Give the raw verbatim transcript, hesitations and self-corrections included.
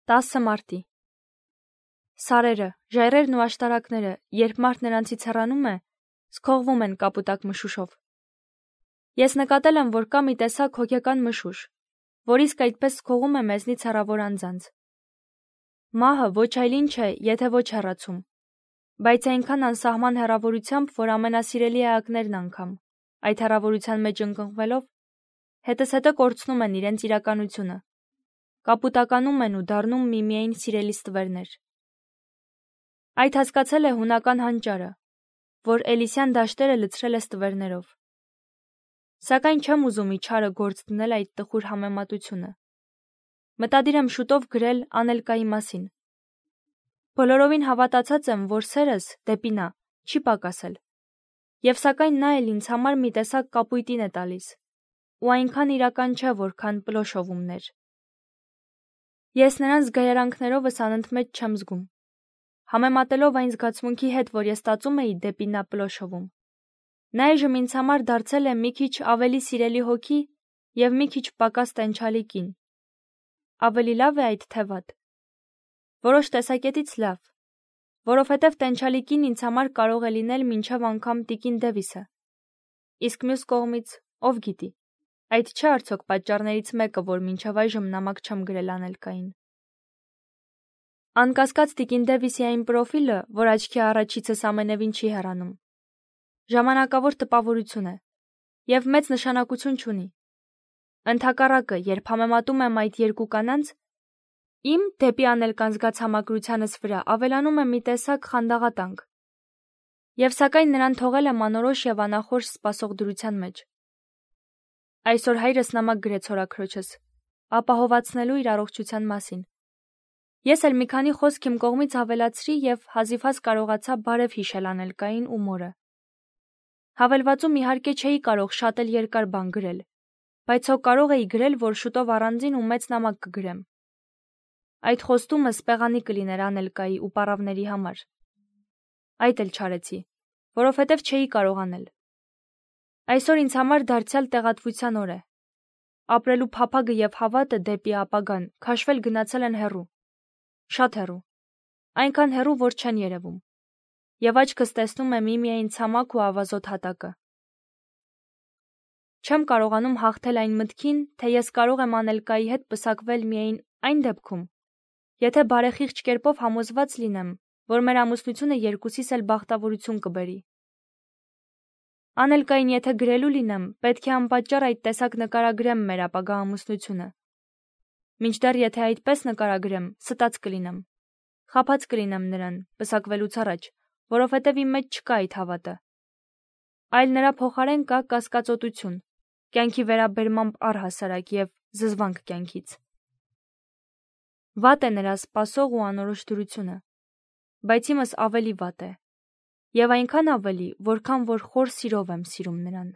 տասը մարտի։ Սարերը, ժայռերն ու աշտարակները, երբ մարդ նրանցից հեռանում է, սքողվում են կապուտակ մշուշով։ Ես նկատել եմ, որ կա մի տեսակ հոգեկան մշուշ, որ իսկ այդպես սքողում է մեզնից հեռավոր անձանց։ Մահը ոչ այլ ինչ է, եթե ոչ հեռացում, բայց այնքան անսահման հեռավորությամբ, որ ամենասիրելի էակներն անգամ, այդ հեռավորության մեջ ընկղմվելով, հետզհետե կորցնում են իրենց իրականությունը, կապուտականում են ու դառնում միմիայն սիրելի ստվերներ։ Այդ հասկացել է հունական հանճարը, որ Էլիսյան դաշտերը լցրել է ստվերներով։ Սակայն չեմ ուզում ի չարը գործ դնել այդ տխուր համեմատությունը։ Մտադիր եմ շուտով գրել Անելկայի մասին։ Բոլորովին հավատացած եմ, որ սերս դեպի նա չի պակասել, և սակայն նա էլ ինձ համար մի տեսակ կապույտին է տալիս, ու այնքան իրական չէ, որքան պլոշովումներ։ Ես նրան զգայարանքներովս անընդմեջ չեմ զգում, համեմատելով այն զգացմունքի հետ, որ ես ստացում էի դեպի նա պլոշովում։ Նա այժմ ինձ համար դարձել է մի քիչ ավելի սիրելի հոգի և մի քիչ պակաս տենչալի կին։ Ավելի լավ է այդ թե վատ։ Որոշ տեսակետից լավ, որովհետև տենչալի կին ինձ համար կարող է լինել մինչև անգամ տիկին Դևիսը։ Իսկ մյուս կողմից, ով գիտի, այդ չէ արդյոք պատճառներից մեկը, որ մինչև այժմ նամակ չեմ գրել Անելկային։ Անկասկած տիկին Դևիսի այն պրոֆիլը, որ աչքի առաջիցս ամենևին չի հեռանում, ժամանակավոր տպավորություն է և մեծ նշանակություն չունի։ Ընդհակառակը, երբ համեմատում եմ այդ երկու կանանց, իմ դեպի Անելկան զգաց համակրությանս վրա ավելանում է մի տեսակ խանդաղատանք, և սակայն նրան թողել եմ անորոշ և անախորժ սպասող դրության մեջ։ Այսօր հայրս նամակ գրեց հորաքրոջս, ապահովացնելու իր առողջության մասին։ Ես էլ մի քանի խոսք իմ կողմից ավելացրի և հազիվհազ կարողացա բարև հիշել Անելկային ու մորը։ Հավելվածում իհարկե չէի կարող շատ էլ երկար բան գրել, բայց հո կարող էի գրել, որ շուտով առանձին ու մեծ նամակ կգրեմ։ Այդ խոստումը սպեղանի կլիներ Անելկայի ու պառավների համար։ Այդ էլ չարեցի, որովհետև չէի կարող անել։ Այսօր ինձ համար դարձյալ տեղատվության օր է։ Ապրելու փափագը և հավատը դեպի ապագան քաշվել գնացել են հեռու, շատ հեռու, այնքան հեռու, որ չեն երևում, և աչքս տեսնում է միմիայն ցամաք ու ավազոտ հատակը։ Չեմ կարողանում հաղթել այն մտքին, թե ես կարող եմ Անելկայի հետ պսակվել միայն այն դեպքում, եթե բարեխիղճ կերպով համոզված լինեմ, որ մեր ամուսնությունը երկուսիս էլ բախտավորություն կբերի։ Անելկային եթե գրելու լինեմ, պետք է անպատճառ այդ տեսակ նկարագրեմ մեր ապագա ամուսնությունը։ Մինչդեռ եթե այդպես նկարագրեմ, ստած կլինեմ, խաբած կլինեմ նրան, պսակվելուց առաջ, որովհետև իմ մեջ չկա այդ հավատը, այլ նրա փոխարեն կա կասկածոտություն, կյանքի վերաբերմամբ առհասարակ և զզվանք կյանքից։ Վատ է նրա սպասող ու անորոշ դրությունը, բայց իմս ավելի վատ է, և այնքան ավելի, որքան որ խոր սիրով եմ սիրում նրան։